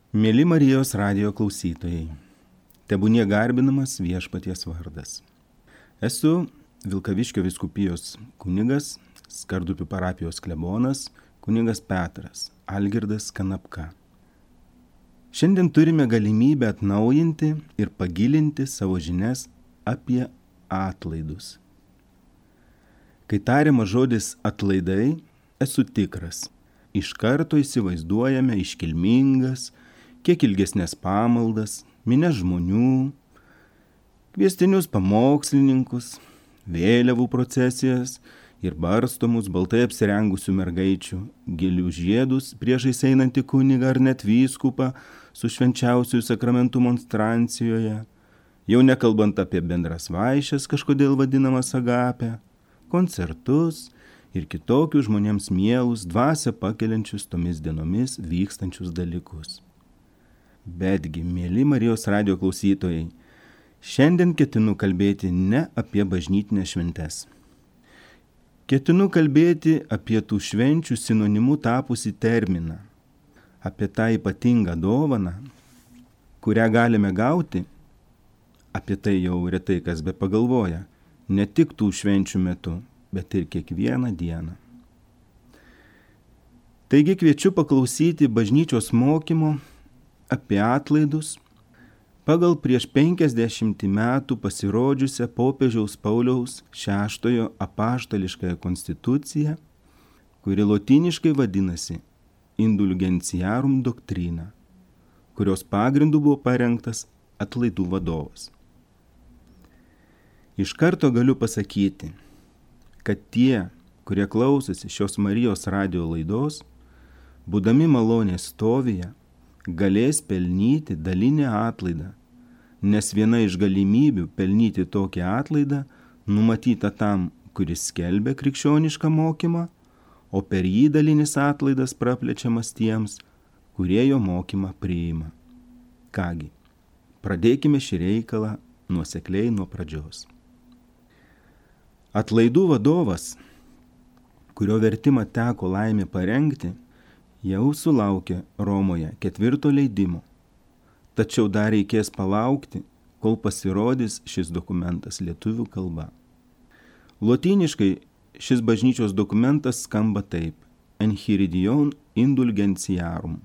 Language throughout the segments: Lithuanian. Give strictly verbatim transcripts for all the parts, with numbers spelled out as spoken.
Mėly Marijos radijo klausytojai, tebūnie garbinamas Viešpaties vardas. Esu Vilkaviškio vyskupijos kunigas, Skardupių parapijos klebonas, kunigas Petras Algirdas Kanapka. Šiandien turime galimybę atnaujinti ir pagilinti savo žinias apie atlaidus. Kai tariamas žodis atlaidai, esu tikras, iš karto įsivaizduojame iškilmingas, kiek ilgesnės pamaldas, minia žmonių, kviestinius pamokslininkus, vėliavų procesijas ir barstomus baltai apsirengusių mergaičių, gilių žiedus priešais einantį kunigą ar net vyskupą su švenčiausiųjų sakramentų monstrancijoje, jau nekalbant apie bendras vaišes, kažkodėl vadinamas agapę, koncertus ir kitokius žmonėms mielus, dvasią pakeliančius tomis dienomis vykstančius dalykus. Betgi, mėly Marijos radijo klausytojai, šiandien ketinu kalbėti ne apie bažnytinės šventes. Ketinu kalbėti apie tų švenčių sinonimu tapusį terminą, apie tą ypatingą dovaną, kurią galime gauti, apie tai jau retai kas be pagalvoja, ne tik tų švenčių metu, bet ir kiekvieną dieną. Taigi kviečiu paklausyti bažnyčios mokymo apie atlaidus pagal prieš penkiasdešimtį metų pasirodžiusią popiežiaus Pauliaus šeštojo apaštališkąją konstituciją, kuri lotyniškai vadinasi Indulgentiarum Doctrina, kurios pagrindu buvo parengtas atlaidų vadovas. Iš karto galiu pasakyti, kad tie, kurie klausosi šios Marijos radijo laidos, būdami malonės stovyje, galės pelnyti dalinę atlaidą, nes viena iš galimybių pelnyti tokią atlaidą numatyta tam, kuris skelbia krikščionišką mokymą, o per jį dalinis atlaidas praplečiamas tiems, kurie jo mokymą priima. Kągi, pradėkime šį reikalą nuosekliai nuo pradžios. Atlaidų vadovas, kurio vertimą teko laimė parengti, jau sulaukė Romoje ketvirto leidimo, tačiau dar reikės palaukti, kol pasirodys šis dokumentas lietuvių kalba. Lotyniškai šis bažnyčios dokumentas skamba taip: Enchiridion Indulgentiarum.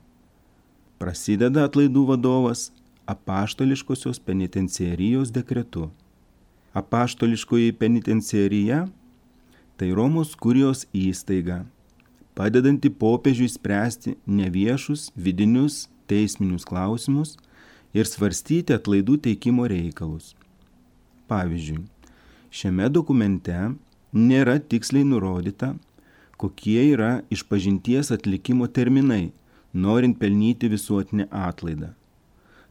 Prasideda atlaidų vadovas apaštališkosios penitenciarijos dekretu. Apaštališkoji penitenciarija – tai Romos kurijos įstaiga, padedanti popiežiui spręsti neviešus vidinius teisminius klausimus ir svarstyti atlaidų teikimo reikalus. Pavyzdžiui, šiame dokumente nėra tiksliai nurodyta, kokie yra išpažinties atlikimo terminai, norint pelnyti visuotinę atlaidą.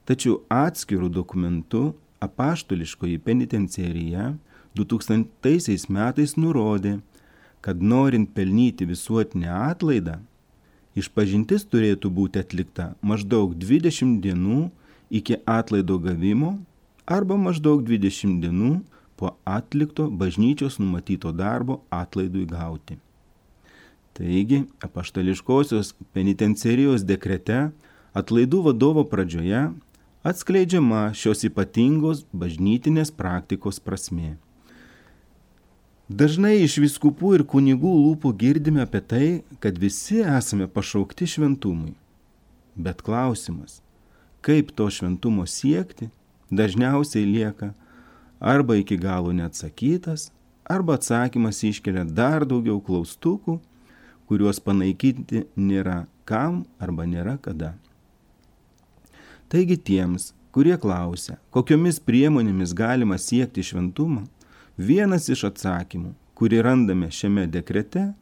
Tačiau atskirų dokumentų apaštališkoji penitenciarija du tūkstantaisiais metais nurodė, kad norint pelnyti visuotinę atlaidą, išpažintis turėtų būti atlikta maždaug dvidešimt dienų iki atlaido gavimo arba maždaug dvidešimt dienų po atlikto bažnyčios numatyto darbo atlaidui gauti. Taigi, apaštališkosios penitenciarijos dekrete atlaidų vadovo pradžioje atskleidžiama šios ypatingos bažnytinės praktikos prasmė. Dažnai iš vyskupų ir kunigų lūpų girdime apie tai, kad visi esame pašaukti šventumui. Bet klausimas, kaip to šventumo siekti, dažniausiai lieka arba iki galo neatsakytas, arba atsakymas iškelia dar daugiau klaustukų, kuriuos panaikinti nėra kam arba nėra kada. Taigi tiems, kurie klausia, kokiomis priemonėmis galima siekti šventumą, vienas iš atsakymų, kurį randame šiame dekrete,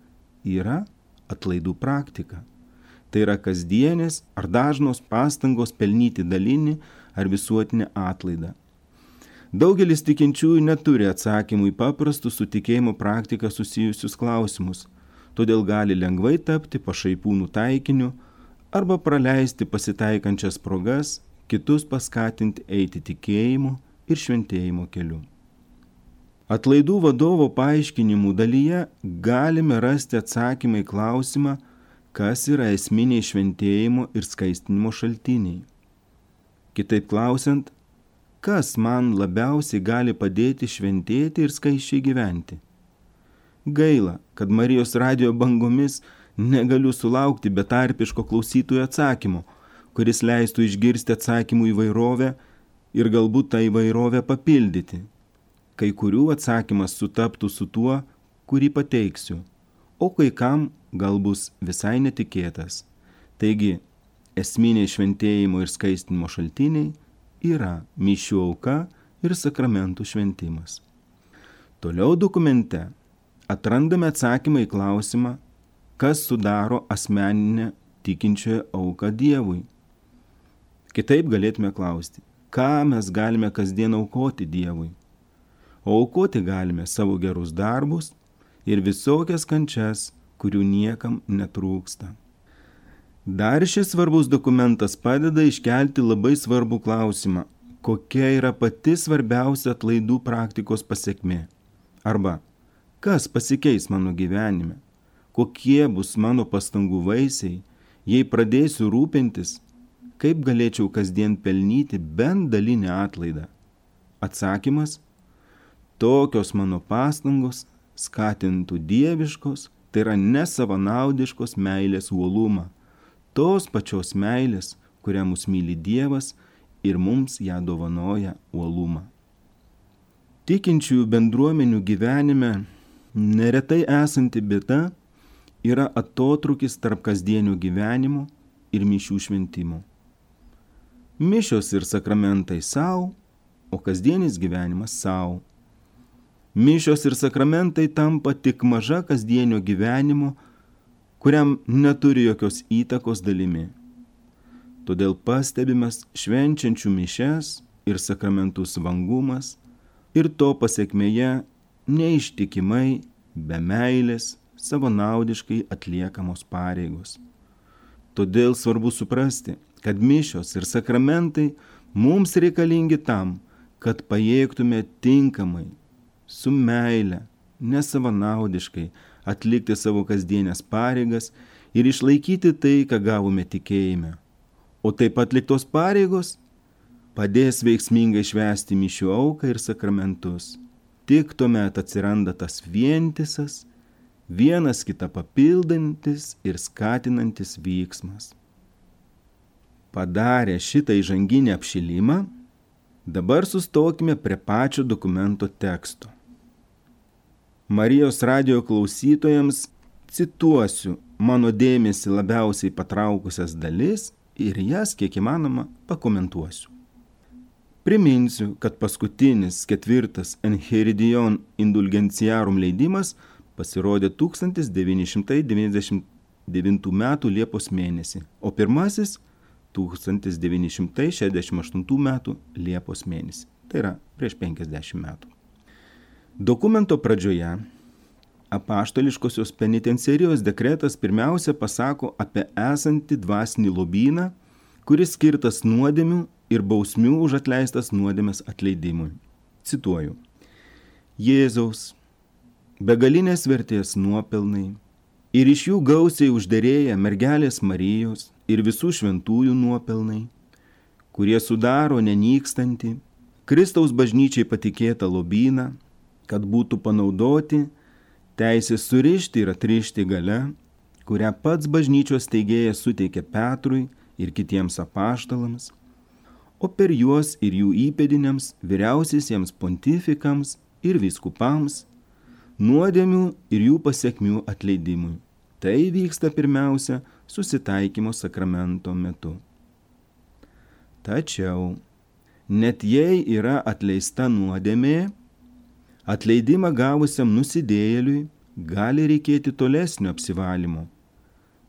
yra atlaidų praktika. Tai yra kasdienės ar dažnos pastangos pelnyti dalinį ar visuotinę atlaidą. Daugelis tikinčiųjų neturi atsakymų į paprastus su tikėjimo praktika susijusius klausimus, todėl gali lengvai tapti pašaipūnų taikiniu arba praleisti pasitaikančias progas, kitus paskatinti eiti tikėjimu ir šventėjimo keliu. Atlaidų vadovo paaiškinimų dalyje galime rasti atsakymą į klausimą, kas yra esminiai šventėjimo ir skaistinimo šaltiniai. Kitaip klausiant, kas man labiausiai gali padėti šventėti ir skaisčiai gyventi? Gaila, kad Marijos radijo bangomis negaliu sulaukti betarpiško klausytojų atsakymo, kuris leistų išgirsti atsakymų įvairovę ir galbūt tą įvairovę papildyti. Kai kurių atsakymas sutaptų su tuo, kurį pateiksiu, o kai kam gal bus visai netikėtas. Taigi, esminiai šventėjimo ir skaistinimo šaltiniai yra mišių auka ir sakramentų šventimas. Toliau dokumente atrandame atsakymą į klausimą, kas sudaro asmeninę tikinčiojo auką Dievui. Kitaip galėtume klausti, ką mes galime kasdien aukoti Dievui. O aukoti galime savo gerus darbus ir visokias kančias, kurių niekam netrūksta. Dar šis svarbus dokumentas padeda iškelti labai svarbų klausimą, kokia yra pati svarbiausia atlaidų praktikos pasekmė. Arba, kas pasikeis mano gyvenime, kokie bus mano pastangų vaisiai, jei pradėsiu rūpintis, kaip galėčiau kasdien pelnyti bent dalinę atlaidą. Atsakymas, tokios mano pastangos skatintų dieviškos, tai yra nesavanaudiškos meilės uolumą, tos pačios meilės, kurią mus myli Dievas ir mums ją dovanoja uolumą. Tikinčiųjų bendruomenių gyvenime neretai esanti bėda yra atotrūkis tarp kasdienio gyvenimo ir mišių šventimo. Mišios ir sakramentai savo, o kasdienis gyvenimas savo. Mišios ir sakramentai tampa tik maža kasdienio gyvenimo, kuriam neturi jokios įtakos dalimi. Todėl pastebimas švenčiančių mišias ir sakramentus vangumas ir to pasekmėje neištikimai, be meilės, savanaudiškai atliekamos pareigos. Todėl svarbu suprasti, kad mišios ir sakramentai mums reikalingi tam, kad pajėgtume tinkamai, su meile, nesavanaudiškai atlikti savo kasdienės pareigas ir išlaikyti tai, ką gavome tikėjime. O taip atliktos pareigos padės veiksmingai švęsti mišių auką ir sakramentus. Tik tuomet atsiranda tas vientisas, vienas kitą papildantis ir skatinantis vyksmas. Padarę šitą įžanginį apšilimą, dabar sustokime prie pačio dokumento teksto. Marijos radijo klausytojams cituosiu mano dėmesį labiausiai patraukusias dalis ir jas kiek įmanoma pakomentuosiu. Priminsiu, kad paskutinis ketvirtas Enchiridion Indulgentiarum leidimas pasirodė tūkstantis devyni šimtai devyniasdešimt devintų metų Liepos mėnesį, o pirmasis tūkstantis devyni šimtai šešiasdešimt aštuntų metų Liepos mėnesį. Tai yra prieš penkiasdešimt metų. Dokumento pradžioje apaštališkosios penitenciarijos dekretas pirmiausia pasako apie esantį dvasinį lobyną, kuris skirtas nuodėmių ir bausmių už atleistas nuodėmes atleidimui. Cituoju. Jėzaus, begalinės vertės nuopelnai ir iš jų gausiai užderėję mergelės Marijos ir visų šventųjų nuopelnai, kurie sudaro nenykstantį Kristaus bažnyčiai patikėtą lobyną, kad būtų panaudoti teisės surišti ir atrišti galia, kurią pats bažnyčios steigėjas suteikė Petrui ir kitiems apaštalams, o per juos ir jų įpėdiniams, vyriausiesiems pontifikams ir vyskupams, nuodėmių ir jų pasekmių atleidimui. Tai vyksta pirmiausia susitaikymo sakramento metu. Tačiau, net jei yra atleista nuodėmė, atleidimą gavusiam nusidėjėliui gali reikėti tolesnio apsivalymo.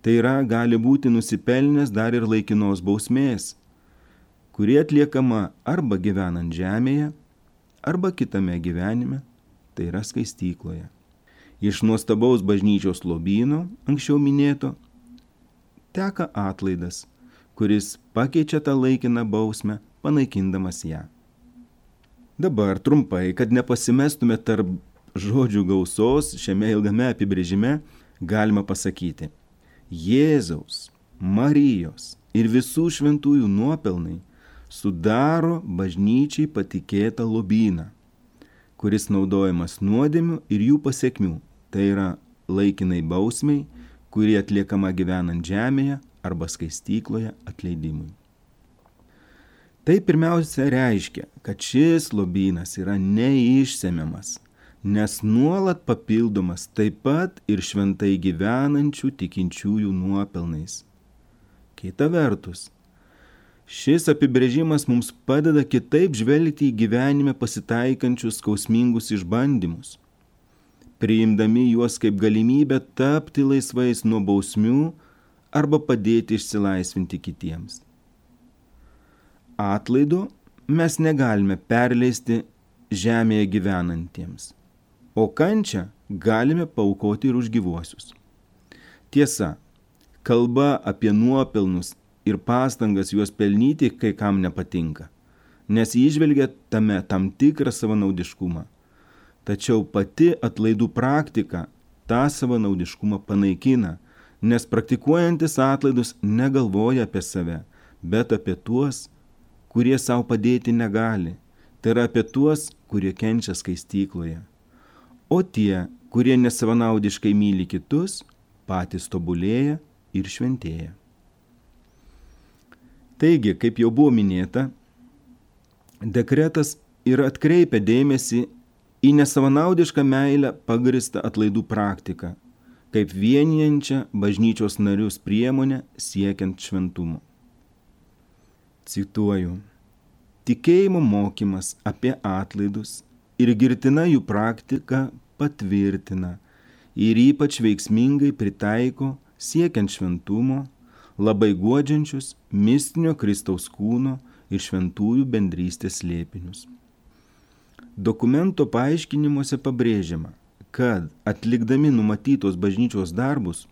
Tai yra, gali būti nusipelnęs dar ir laikinos bausmės, kuri atliekama arba gyvenant žemėje, arba kitame gyvenime, tai yra skaistykloje. Iš nuostabaus bažnyčios lobyno, anksčiau minėto, teka atlaidas, kuris pakeičia tą laikiną bausmę, panaikindamas ją. Dabar trumpai, kad nepasimestume tarp žodžių gausos šiame ilgame apibrėžime, galima pasakyti. Jėzaus, Marijos ir visų šventųjų nuopelnai sudaro bažnyčiai patikėtą lobyną, kuris naudojamas nuodėmių ir jų pasekmių, tai yra laikinai bausmiai, kuri atliekama gyvenant žemėje arba skaistykloje atleidimui. Tai pirmiausia reiškia, kad šis lobynas yra neišsemiamas, nes nuolat papildomas taip pat ir šventai gyvenančių tikinčiųjų nuopelnais. Kita vertus, šis apibrėžimas mums padeda kitaip žvelgti į gyvenime pasitaikančius skausmingus išbandymus, priimdami juos kaip galimybę tapti laisvais nuo bausmių arba padėti išsilaisvinti kitiems. Atlaido mes negalime perleisti žemėje gyvenantiems, o kančią galime paaukoti ir už gyvuosius. Tiesa, kalba apie nuopelnus ir pastangas juos pelnyti kai kam nepatinka, nes įžvelgia tame tam tikrą savanaudiškumą. Tačiau pati atlaidų praktika tą savanaudiškumą panaikina, nes praktikuojantis atlaidus negalvoja apie save, bet apie tuos, kurie savo padėti negali, tai yra apie tuos, kurie kenčia skaistykloje. O tie, kurie nesavanaudiškai myli kitus, patys tobulėja ir šventėja. Taigi, kaip jau buvo minėta, dekretas ir atkreipia dėmesį į nesavanaudišką meilę pagristą atlaidų praktiką, kaip vienijančią bažnyčios narius priemonę siekiant šventumo. Cituoju: tikėjimo mokymas apie atlaidus ir girtina jų praktika patvirtina ir ypač veiksmingai pritaiko siekiant šventumo, labai guodžiančius mistinio Kristaus kūno ir šventųjų bendrystės slėpinius. Dokumento paaiškinimuose pabrėžiama, kad atlikdami numatytos bažnyčios darbus,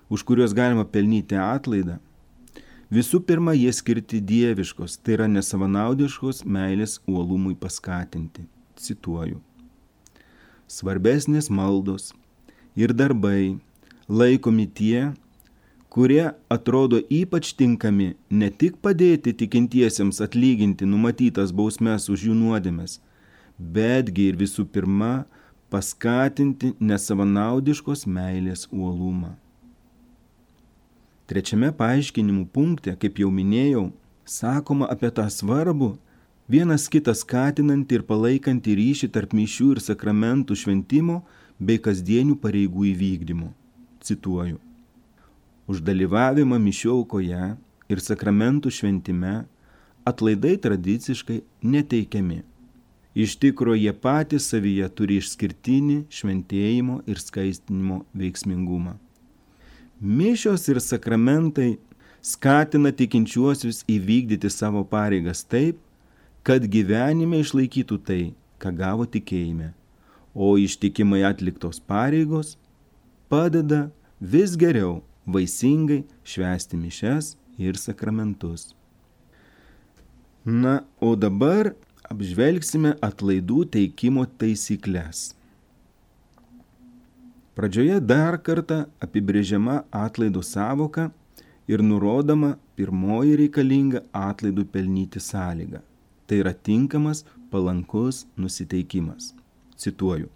už kuriuos galima pelnyti atlaidą, visų pirma jie skirti dieviškos, tai yra nesavanaudiškos meilės uolumui paskatinti. Cituoju: svarbesnės maldos ir darbai laikomi tie, kurie atrodo ypač tinkami ne tik padėti tikintiesiems atlyginti numatytas bausmes už jų nuodėmes, betgi ir visų pirma paskatinti nesavanaudiškos meilės uolumą. Trečiame paaiškinimų punkte, kaip jau minėjau, sakoma apie tą svarbų, vienas kitą skatinantį ir palaikantį ryšį tarp mišių ir sakramentų šventimo bei kasdienių pareigų įvykdymo. Cituoju: už dalyvavimą mišių aukoje ir sakramentų šventime atlaidai tradiciškai neteikiami. Iš tikro jie patys savyje turi išskirtinį šventėjimo ir skaistinimo veiksmingumą. Mišios ir sakramentai skatina tikinčiuosius įvykdyti savo pareigas taip, kad gyvenime išlaikytų tai, ką gavo tikėjime, o ištikimai atliktos pareigos padeda vis geriau vaisingai švęsti mišias ir sakramentus. Na, o dabar apžvelgsime atlaidų teikimo taisyklės. Pradžioje dar kartą apibrėžiama atlaidų sąvoka ir nurodoma pirmoji reikalinga atlaidų pelnyti sąlyga. Tai yra tinkamas, palankus nusiteikimas. Cituoju: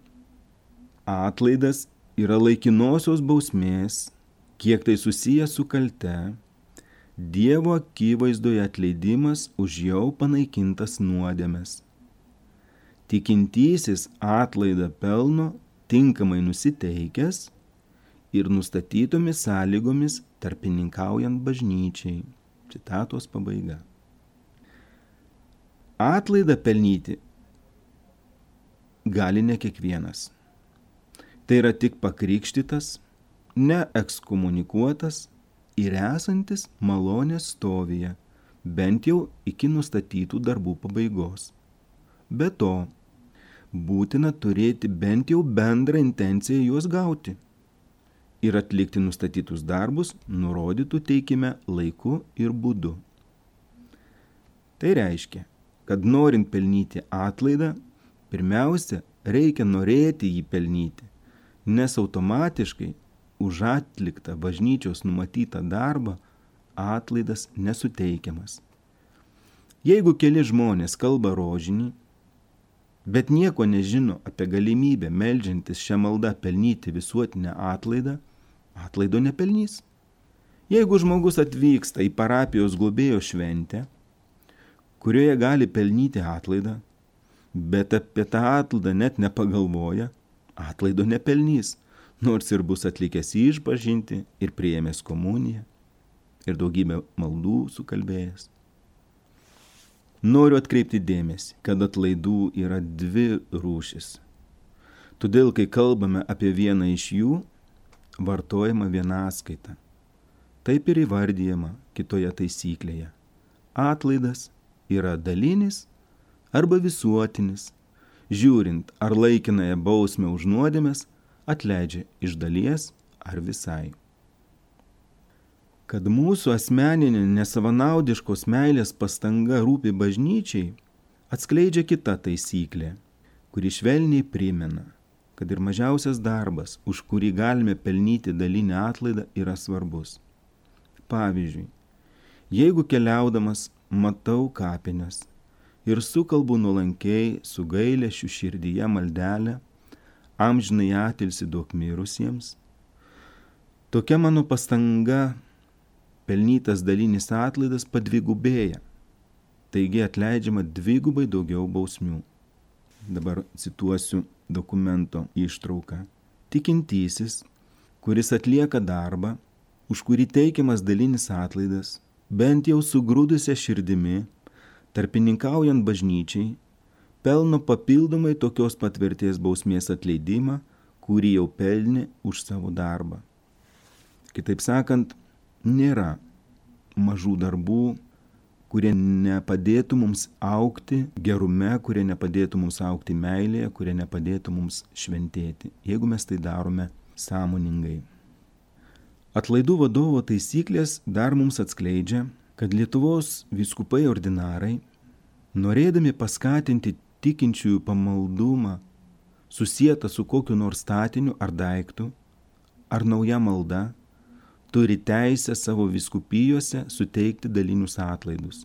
atlaidas yra laikinosios bausmės, kiek tai susiję su kalte, Dievo akivaizdoje atleidimas už jau panaikintas nuodėmes. Tikintysis atlaidą pelno tinkamai nusiteikęs ir nustatytomis sąlygomis tarpininkaujant bažnyčiai. Citatos pabaiga. Atlaidą pelnyti gali ne kiekvienas. Tai yra tik pakrikštytas, neekskomunikuotas ir esantis malonės stovyje, bent jau iki nustatytų darbų pabaigos. Be to, būtina turėti bent jau bendrą intenciją juos gauti ir atlikti nustatytus darbus nurodytų teikime laiku ir būdu. Tai reiškia, kad norint pelnyti atlaidą, pirmiausia, reikia norėti jį pelnyti, nes automatiškai už atliktą bažnyčios numatytą darbą atlaidas nesuteikiamas. Jeigu keli žmonės kalba rožinį, bet nieko nežino apie galimybę meldžiantis šią maldą pelnyti visuotinę atlaidą, atlaido nepelnys. Jeigu žmogus atvyksta į parapijos globėjo šventę, kurioje gali pelnyti atlaidą, bet apie tą atlaidą net nepagalvoja, atlaido nepelnys, nors ir bus atlikęs išpažintį ir priėmęs komuniją ir daugybę maldų sukalbėjęs. Noriu atkreipti dėmesį, kad atlaidų yra dvi rūšis. Todėl, kai kalbame apie vieną iš jų, vartojama vienaskaita. Taip ir įvardyjama kitoje taisyklėje. Atlaidas yra dalinis arba visuotinis, žiūrint, ar laikinąją bausmę už nuodėmes atleidžia iš dalies ar visai. Kad mūsų asmeninė nesavanaudiškos meilės pastanga rūpi bažnyčiai, atskleidžia kita taisyklė, kuri švelniai primena, kad ir mažiausias darbas, už kurį galime pelnyti dalinę atlaidą, yra svarbus. Pavyzdžiui, jeigu keliaudamas matau kapines ir sukalbu nuolankiai su gailesčiu širdyje maldelę, amžinai atilsį duok mirusiems, tokia mano pastanga pelnytas dalinis atlaidas padvigubėja, taigi atleidžiama dvigubai daugiau bausmių. Dabar cituosiu dokumento ištrauką. Tikintysis, kuris atlieka darbą, už kurį teikiamas dalinis atlaidas, bent jau sugrūdusią širdimi, tarpininkaujant bažnyčiai, pelno papildomai tokios pat vertės bausmės atleidimą, kurį jau pelnė už savo darbą. Kitaip sakant, nėra mažų darbų, kurie nepadėtų mums augti gerume, kurie nepadėtų mums augti meilėje, kurie nepadėtų mums šventėti, jeigu mes tai darome sąmoningai. Atlaidų vadovo taisyklės dar mums atskleidžia, kad Lietuvos vyskupai ordinarai, norėdami paskatinti tikinčiųjų pamaldumą, susietą su kokiu nors statiniu ar daiktu, ar nauja malda, turi teisę savo vyskupijose suteikti dalinius atlaidus.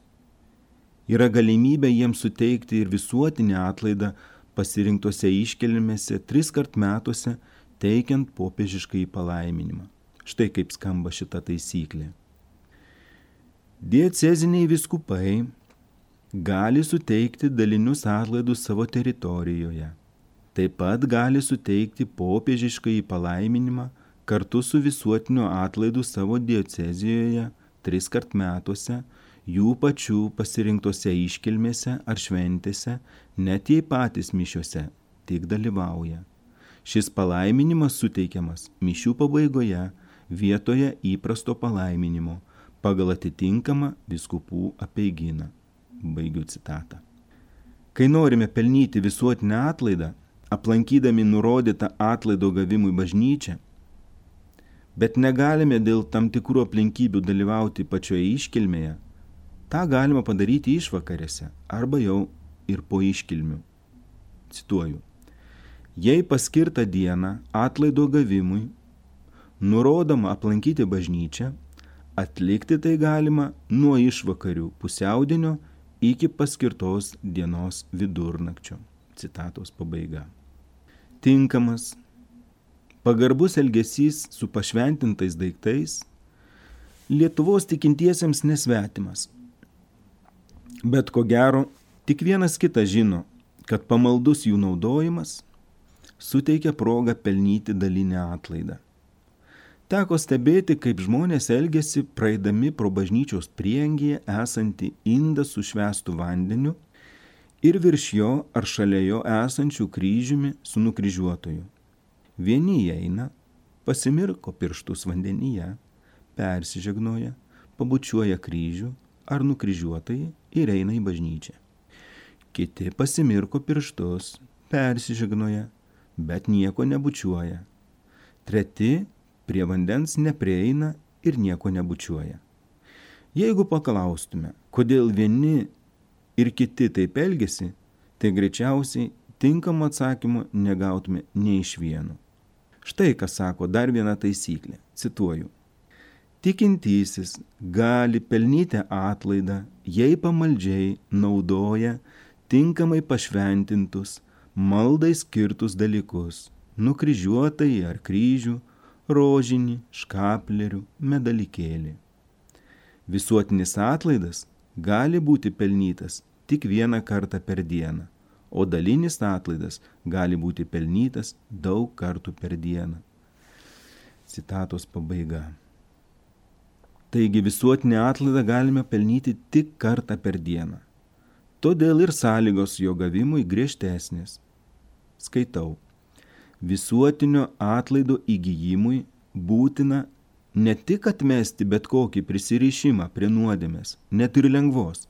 Yra galimybė jiems suteikti ir visuotinį atlaidą pasirinktose iškilmėse tris kart metuose, teikiant popiežiškai palaiminimą. Štai kaip skamba šita taisyklė. Dieceziniai vyskupai gali suteikti dalinius atlaidus savo teritorijoje. Taip pat gali suteikti popiežiškai palaiminimą kartu su visuotiniu atlaidu savo diecezijoje tris kart metuose, jų pačių pasirinktose iškilmėse ar šventėse, net jei patys mišiuose tik dalyvauja. Šis palaiminimas suteikiamas mišių pabaigoje vietoje įprasto palaiminimo pagal atitinkamą vyskupų apeigyną. Baigiu citatą. Kai norime pelnyti visuotinę atlaidą, aplankydami nurodytą atlaido gavimui bažnyčią, bet negalime dėl tam tikrų aplinkybių dalyvauti pačioje iškilmėje, tą galima padaryti išvakarėse arba jau ir po iškilmių. Cituoju. Jei paskirtą dieną atlaido gavimui nurodoma aplankyti bažnyčią, atlikti tai galima nuo išvakarių pusiaudienio iki paskirtos dienos vidurnakčio. Citatos pabaiga. Tinkamas, pagarbus elgesys su pašventintais daiktais Lietuvos tikintiesiems nesvetimas. Bet ko gero, tik vienas kitas žino, kad pamaldus jų naudojimas suteikia progą pelnyti dalinę atlaidą. Teko stebėti, kaip žmonės elgiasi praeidami pro bažnyčios prieangyje esantį indą su švęstu vandeniu ir virš jo ar šalia jo esančių kryžiumi su nukryžiuotoju. Vieni įeina, pasimirko pirštus vandenyje, persižegnoja, pabučiuoja kryžių ar nukryžiuotojai ir eina į bažnyčią. Kiti pasimirko pirštus, persižegnoja, bet nieko nebučiuoja. Treti prie vandens neprieina ir nieko nebučiuoja. Jeigu paklaustume, kodėl vieni ir kiti taip elgiasi, tai greičiausiai tinkamą atsakymą negautume nei iš vieno. Štai ką sako dar viena taisyklė. Cituoju. Tikintysis gali pelnyti atlaidą, jei pamaldžiai naudoja tinkamai pašventintus, maldai skirtus dalykus, nukryžiuotai ar kryžių, rožinį, škaplerių, medalikėlį. Visuotinis atlaidas gali būti pelnytas tik vieną kartą per dieną, o dalinis atlaidas gali būti pelnytas daug kartų per dieną. Citatos pabaiga. Taigi visuotinį atlaidą galime pelnyti tik kartą per dieną. Todėl ir sąlygos jo gavimui griežtesnės. Skaitau. Visuotinio atlaido įgijimui būtina ne tik atmesti bet kokį prisirišimą prie nuodėmės, net ir lengvos,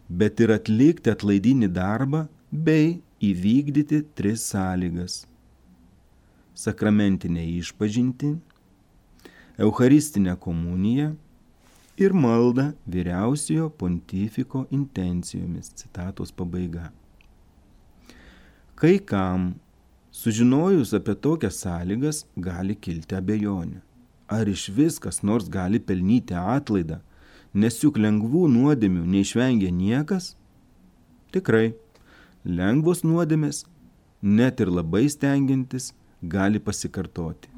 bet ir atlikti atlaidinį darbą bei įvykdyti tris sąlygas. Sakramentinę išpažintį, eucharistinę komuniją ir maldą vyriausiojo pontifiko intencijomis. Citatos pabaiga. Kai kam, sužinojus apie tokias sąlygas, gali kilti abejonė. Ar iš vis kas nors gali pelnyti atlaidą, nes juk lengvų nuodėmių neišvengia niekas? Tikrai, lengvos nuodėmės, net ir labai stengiantis, gali pasikartoti.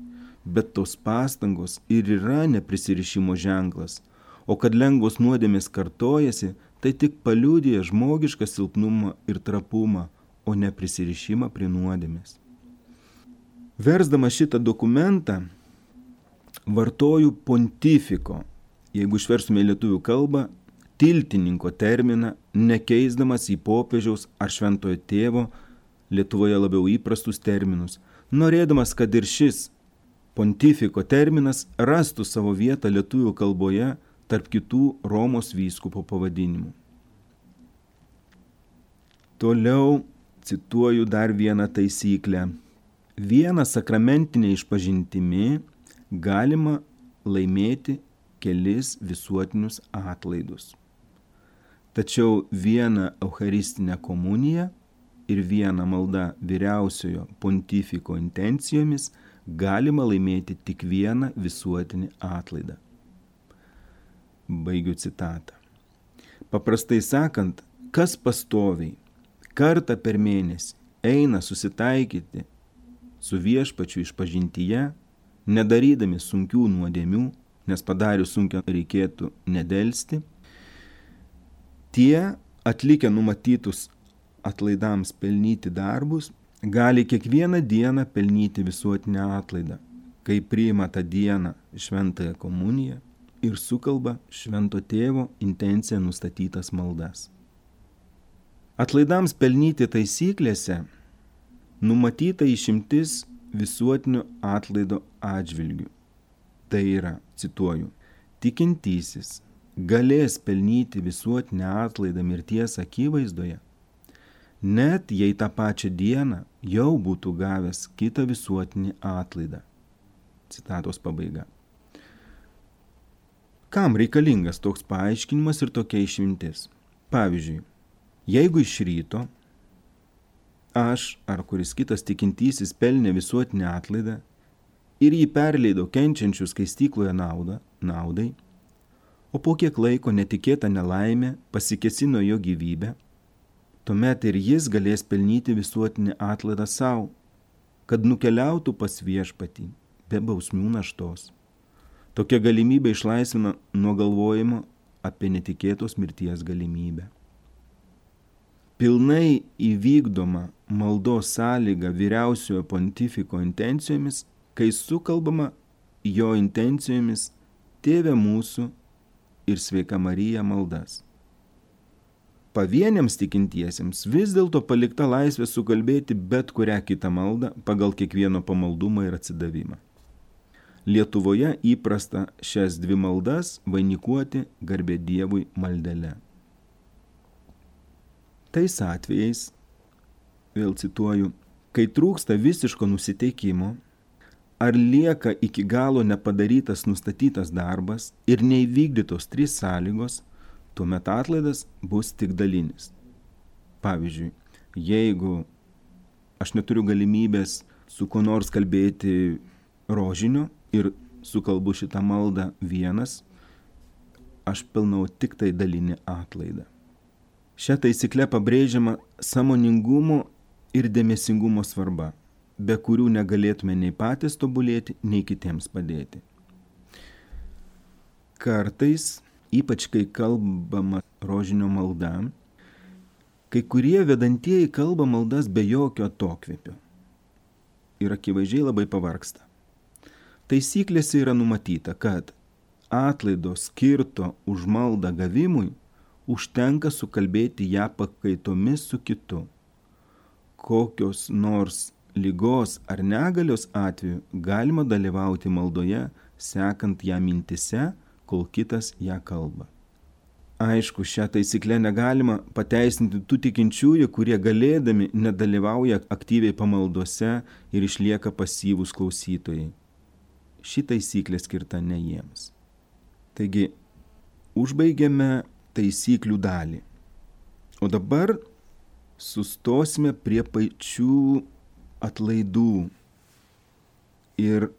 Bet tos pastangos ir yra neprisirišimo ženklas, o kad lengvos nuodėmės kartojasi, tai tik paliudija žmogišką silpnumą ir trapumą, o ne prisirišimą prie nuodėmės. Versdama šitą dokumentą, vartoju pontifiko, jeigu išverstume į lietuvių kalbą, tiltininko terminą, nekeisdamas į popiežiaus ar šventojo tėvo, Lietuvoje labiau įprastus terminus, norėdamas, kad ir šis pontifiko terminas rastų savo vietą lietuvių kalboje tarp kitų Romos vyskupo pavadinimų. Toliau cituoju dar vieną taisyklę. Vieną sakramentinę išpažintimi galima laimėti kelis visuotinius atlaidus. Tačiau vieną eucharistinę komuniją ir vieną maldą vyriausiojo pontifiko intencijomis galima laimėti tik vieną visuotinį atlaidą. Baigiu citatą. Paprastai sakant, kas pastoviai, kartą per mėnesį eina susitaikyti su viešpačiu išpažintyje, nedarydami sunkių nuodėmių, nes padarius sunkią reikėtų nedelsti, tie atlikę numatytus atlaidams pelnyti darbus, gali kiekvieną dieną pelnyti visuotinę atlaidą, kai priima tą dieną šventąją komuniją ir sukalba švento tėvo intenciją nustatytas maldas. Atlaidams pelnyti taisyklėse numatyta išimtis visuotinio atlaido atžvilgių. Tai yra, cituoju, tikintysis galės pelnyti visuotinę atlaidą mirties akivaizdoje, net jei tą pačią dieną jau būtų gavęs kitą visuotinį atlaidą. Citatos pabaiga. Kam reikalingas toks paaiškinimas ir tokia išimtis? Pavyzdžiui, jeigu iš ryto aš ar kuris kitas tikintysis pelnė visuotinį atlaidą ir jį perleido kenčiančių skaistykloje naudą, naudai, o po kiek laiko netikėta nelaimė pasikėsino jo gyvybę, tuomet ir jis galės pelnyti visuotinį atlaidą savo, kad nukeliautų pas viešpatį be bausmių naštos. Tokia galimybė išlaisvina nuo galvojimo apie netikėtos mirties galimybę. Pilnai įvykdoma maldos sąlyga vyriausiojo pontifiko intencijomis, kai sukalbama jo intencijomis Tėve mūsų ir Sveika Marija maldas. Pavieniams tikintiesiems vis dėlto palikta laisvė sukalbėti bet kurią kitą maldą pagal kiekvieno pamaldumą ir atsidavimą. Lietuvoje įprasta šias dvi maldas vainikuoti garbė Dievui maldele. Tais atvejais, vėl cituoju, kai trūksta visiško nusiteikimo, ar lieka iki galo nepadarytas nustatytas darbas ir neįvykdytos trys sąlygos, tuomet atlaidas bus tik dalinis. Pavyzdžiui, jeigu aš neturiu galimybės su kuo nors kalbėti rožinio ir sukalbu šitą maldą vienas, aš pilnau tik tai dalinį atlaidą. Šią taisyklę pabrėžiama sąmoningumo ir dėmesingumo svarba, be kurių negalėtume nei patys tobulėti, nei kitiems padėti. Kartais, ypač kai kalbama rožinio malda, kai kurie vedantieji kalba maldas be jokio atokvėpio ir akivaizdžiai labai pavargsta. Taisyklėse yra numatyta, kad atlaido skirto už maldą gavimui užtenka sukalbėti ją pakaitomis su kitu. Kokios nors ligos ar negalios atveju galima dalyvauti maldoje, sekant ją mintise, kol kitas ją kalba. Aišku, šią taisyklę negalima pateisinti tų tikinčiųjų, kurie galėdami nedalyvauja aktyviai pamaldose ir išlieka pasyvūs klausytojai. Ši taisyklė skirta ne jiems. Taigi, užbaigiame taisyklių dalį. O dabar sustosime prie pačių atlaidų. Ir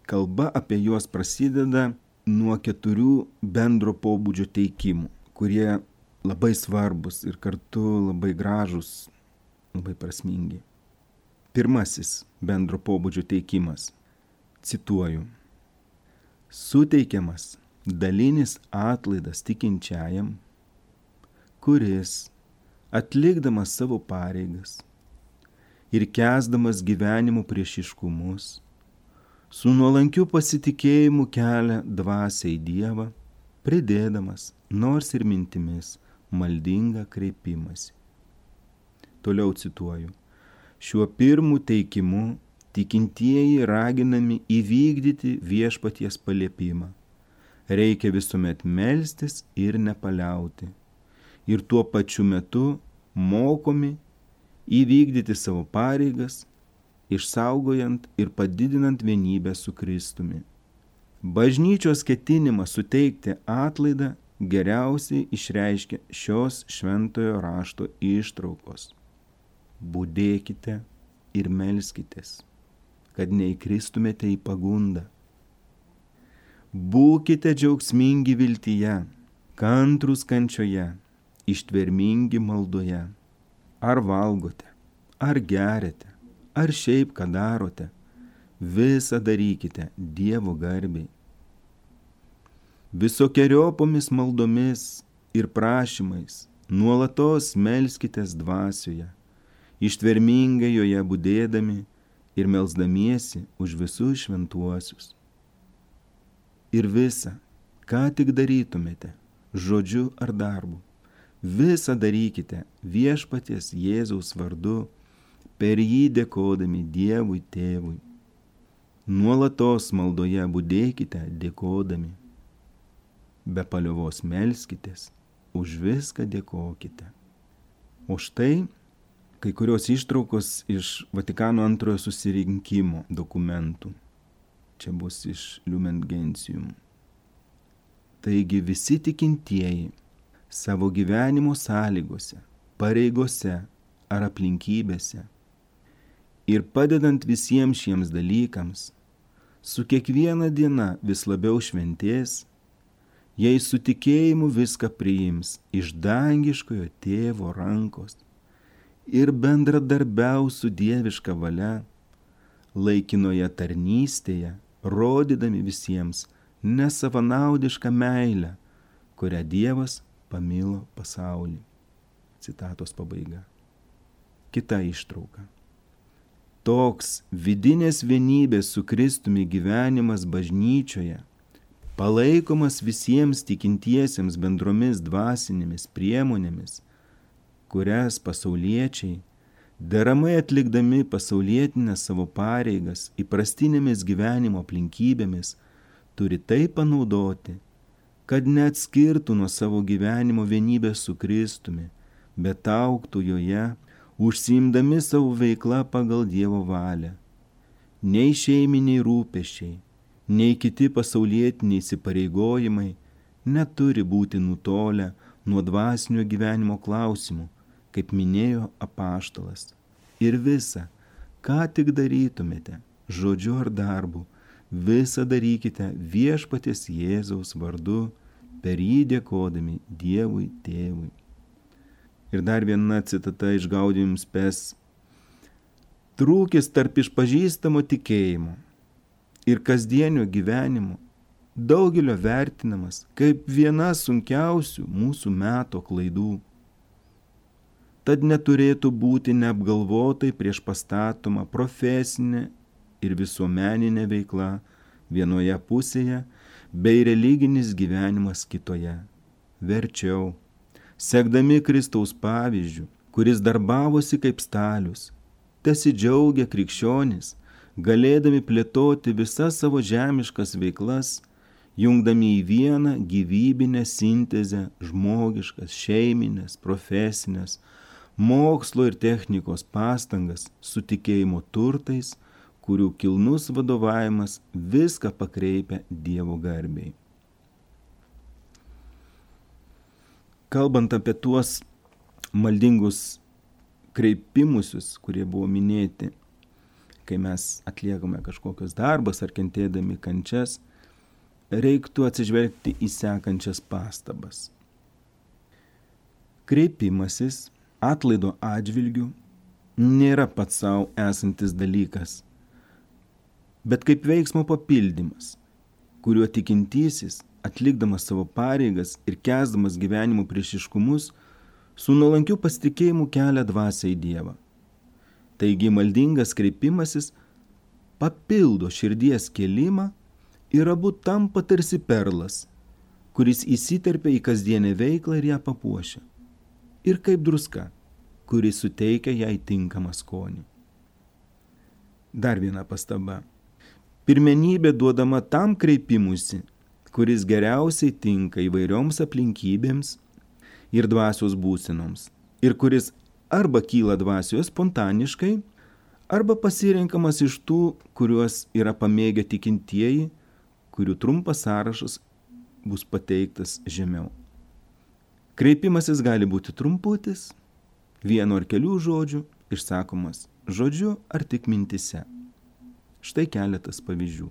kalba apie juos prasideda nuo keturių bendro pobūdžio teikimų, kurie labai svarbus ir kartu labai gražus, labai prasmingi. Pirmasis bendro pobūdžio teikimas. Cituoju. Suteikiamas dalinis atlaidas tikinčiajam, kuris, atlikdamas savo pareigas ir kęsdamas gyvenimo priešiškumus, su nuolankiu pasitikėjimu kelia dvasią į Dievą, pridėdamas, nors ir mintimis, maldingą kreipimąsi. Toliau cituoju. Šiuo pirmu teikimu tikintieji raginami įvykdyti viešpaties paliepimą. Reikia visuomet melstis ir nepaliauti. Ir tuo pačiu metu mokomi įvykdyti savo pareigas, išsaugojant ir padidinant vienybę su Kristumi. Bažnyčios ketinimas suteikti atlaidą geriausiai išreiškia šios šventojo rašto ištraukos. Budėkite ir melskitės, kad neįkristumėte į pagundą. Būkite džiaugsmingi viltyje, kantrūs kančioje, ištvermingi maldoje. Ar valgote, ar geriate, ar šiaip ką darote, visą darykite Dievo garbei. Visokiojopomis maldomis ir prašymais nuolatos melskitės dvasioje, ištvermingai joje budėdami ir melsdamiesi už visus šventuosius. Ir visa, ką tik darytumėte, žodžiu ar darbu, visą darykite viešpaties Jėzaus vardu, per jį dėkodami Dievui Tėvui. Nuolatos maldoje budėkite dėkodami. Be paliovos melskitės, už viską dėkokite. O štai kai kurios ištraukos iš Vatikano antrojo susirinkimo dokumentų. Čia bus iš Lumen Gentium. Taigi visi tikintieji savo gyvenimo sąlygose, pareigose ar aplinkybėse ir padedant visiems šiems dalykams, su kiekviena diena vis labiau šventės, jei su tikėjimu viską priims iš dangiškojo Tėvo rankos ir bendradarbiaus su dieviška valia, laikinoje tarnystėje, rodydami visiems nesavanaudišką meilę, kurią Dievas pamilo pasaulį. Citatos pabaiga. Kita ištrauka. Toks vidinės vienybės su Kristumi gyvenimas bažnyčioje, palaikomas visiems tikintiesiems bendromis dvasinėmis priemonėmis, kurias pasauliečiai, deramai atlikdami pasaulietinės savo pareigas įprastinėmis gyvenimo aplinkybėmis, turi taip panaudoti, kad neatskirtų nuo savo gyvenimo vienybės su Kristumi, bet augtų joje, užsiimdami savo veiklą pagal Dievo valią. Nei šeiminiai rūpesčiai, nei kiti pasaulietiniai įsipareigojimai neturi būti nutolę nuo dvasinio gyvenimo klausimų, kaip minėjo apaštalas. Ir visa, ką tik darytumėte, žodžiu ar darbu, visą darykite viešpaties Jėzaus vardu, per jį dėkodami Dievui Tėvui. Ir dar viena citata iš Gaudium Spes. Trūkis tarp išpažįstamo tikėjimo ir kasdienio gyvenimo daugelio vertinamas kaip viena sunkiausių mūsų meto klaidų. Tad neturėtų būti neapgalvotai prieš pastatoma profesinė ir visuomeninė veikla vienoje pusėje, bei religinis gyvenimas kitoje. Verčiau, sekdami Kristaus pavyzdžių, kuris darbavosi kaip stalius, tesidžiaugia krikščionys, galėdami plėtoti visas savo žemiškas veiklas, jungdami į vieną gyvybinę sintezę žmogiškas, šeiminės, profesinės, mokslo ir technikos pastangas su tikėjimo turtais, kurių kilnus vadovavimas viską pakreipia Dievo garbei. Kalbant apie tuos maldingus kreipimusius, kurie buvo minėti, kai mes atliekame kažkokius darbus ar kentėdami kančias, reiktų atsižvelgti į sekančias pastabas. Kreipimasis atlaido atžvilgių nėra pats savo esantis dalykas, bet kaip veiksmo papildymas, kuriuo tikintysis, atlikdamas savo pareigas ir kęsdamas gyvenimo priešiškumus, su nuolankiu pasitikėjimu kelia dvasią į Dievą. Taigi maldingas kreipimasis papildo širdies kėlimą ir abu tampa tarsi perlas, kuris įsiterpia į kasdienę veiklą ir ją papuošia. Ir kaip druska, kuris suteikia jai tinkamą skonį. Dar viena pastaba. Pirmenybė duodama tam kreipimusi, kuris geriausiai tinka įvairioms aplinkybėms ir dvasios būsenoms, ir kuris arba kyla dvasioje spontaniškai, arba pasirenkamas iš tų, kuriuos yra pamėgę tikintieji, kurių trumpas sąrašas bus pateiktas žemiau. Kreipimasis gali būti trumputis, vieno ar kelių žodžių, išsakomas žodžiu ar tik mintise. Štai keletas pavyzdžių.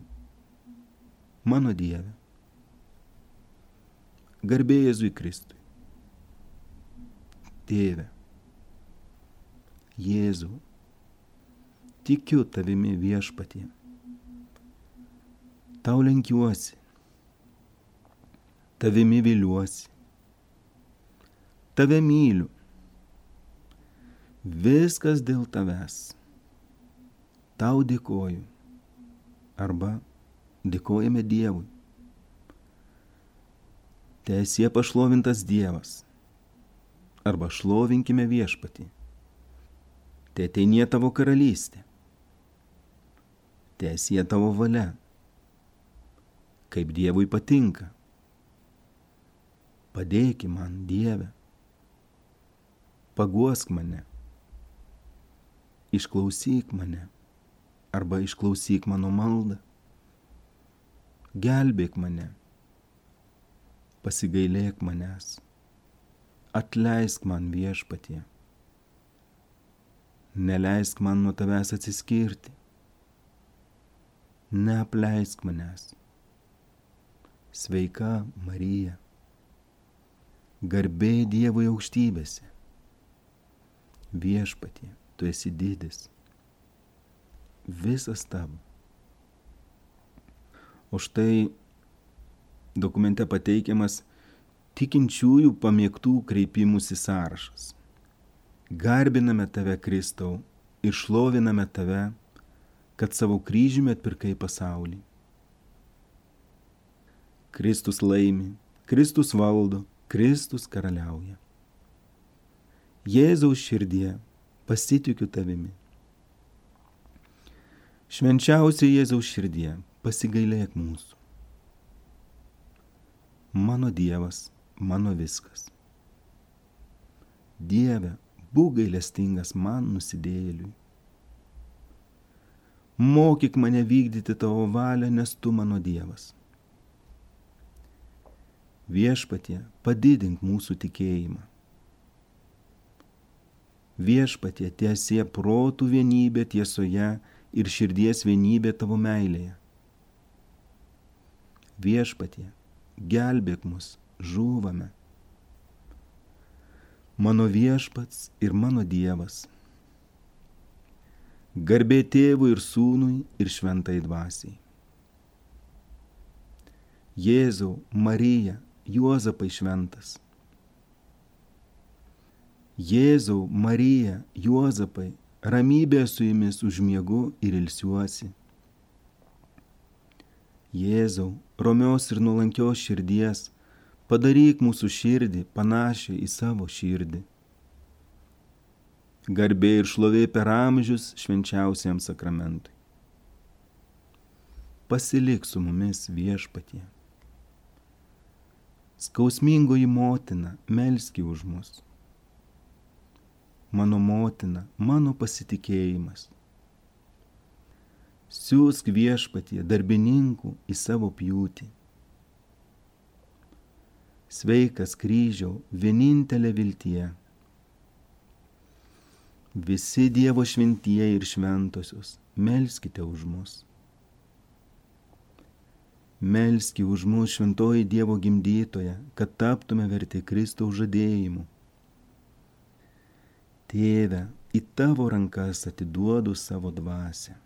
Mano Dieve, garbė Jėzui Kristui. Tėve, Jėzau, tikiu tavimi viešpatie. Tau lenkiuosi, tavimi viliuosi, tave myliu. Viskas dėl tavęs. Tau dėkoju. Arba dėkojame Dievui. Teesie pašlovintas Dievas. Arba šlovinkime viešpatį. Teateinie tavo karalystė. Teesie tavo valia. Kaip Dievui patinka. Padėki man, Dieve. Paguosk mane. Išklausyk mane. Arba išklausyk mano maldą. Gelbėk mane. Pasigailėk manęs. Atleisk man viešpatie. Neleisk man nuo tavęs atsiskirti. Neapleisk manęs. Sveika Marija. Garbė Dievui aukštybėse. Viešpatie, tu esi didis. Visas tavo. O štai dokumente pateikiamas tikinčiųjų pamėgtų kreipimųsi sąrašas. Garbiname tave, Kristau, ir šloviname tave, kad savo kryžiumi atpirkai pasaulį. Kristus laimi, Kristus valdo, Kristus karaliauja. Jėzaus širdie pasitikiu tavimi. Švenčiausia Jėzaus širdie, pasigailėk mūsų. Mano Dievas, mano viskas. Dieve, būk gailestingas man nusidėjėliui. Mokyk mane vykdyti tavo valią, nes tu mano Dievas. Viešpatie, padidink mūsų tikėjimą. Viešpatie, tiesie protų vienybė tiesoje ir širdies vienybė tavo meilėje. Viešpatie, gelbėk mus, žūvame. Mano viešpats ir mano Dievas. Garbė Tėvui ir Sūnui ir Šventai Dvasiai. Jėzau, Marija, Juozapai šventas. Jėzau, Marija, Juozapai, ramybė su jumis užmiegu ir ilsiuosi. Jėzau, romios ir nuolankios širdies, padaryk mūsų širdį panašią į savo širdį. Garbė ir šlovė per amžius švenčiausiam sakramentui. Pasilik su mumis, Viešpatie. Skausmingoji motina, melski už mus. Mano motina, mano pasitikėjimas. Siūsk, Viešpatie, darbininkų į savo pjūtį. Sveikas kryžiau, vienintelė viltie. Visi Dievo šventieji ir šventosios, melskite už mus. Melski už mus, šventoji Dievo gimdytoja, kad taptume verti Kristaus žadėjimu. Tėve, į tavo rankas atiduodu savo dvasią.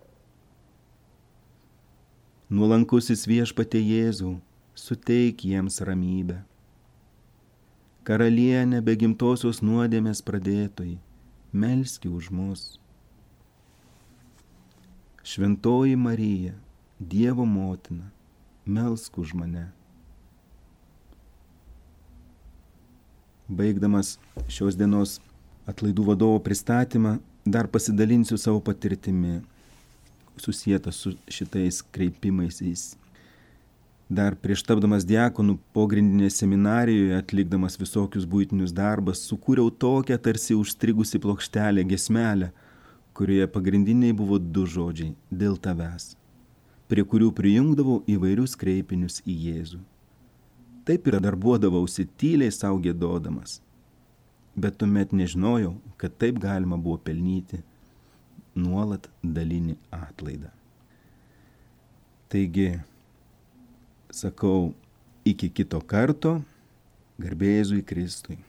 Nuolankusis Viešpatie Jėzau, suteik jiems ramybę. Karalienė be gimtosios nuodėmės pradėtojai, melski už mus. Šventoji Marija, Dievo motina, melsk už mane. Baigdamas šios dienos atlaidų vadovo pristatymą, dar pasidalinsiu savo patirtimi, susietą su šitais kreipimaisiais. Dar prieš tapdamas diakonu pogrindinėje seminarijoje, atlikdamas visokius buitinius darbus, sukūriau tokią tarsi užstrigusi plokštelę gesmelę, kurioje pagrindiniai buvo du žodžiai – dėl tavęs, prie kurių prijungdavau įvairius kreipinius į Jėzų. Taip ir darbuodavausi tyliai sau giedodamas, bet tuomet nežinojau, kad taip galima buvo pelnyti nuolat dalinį atlaidą. Taigi, sakau, iki kito karto, garbė Jėzui Kristui.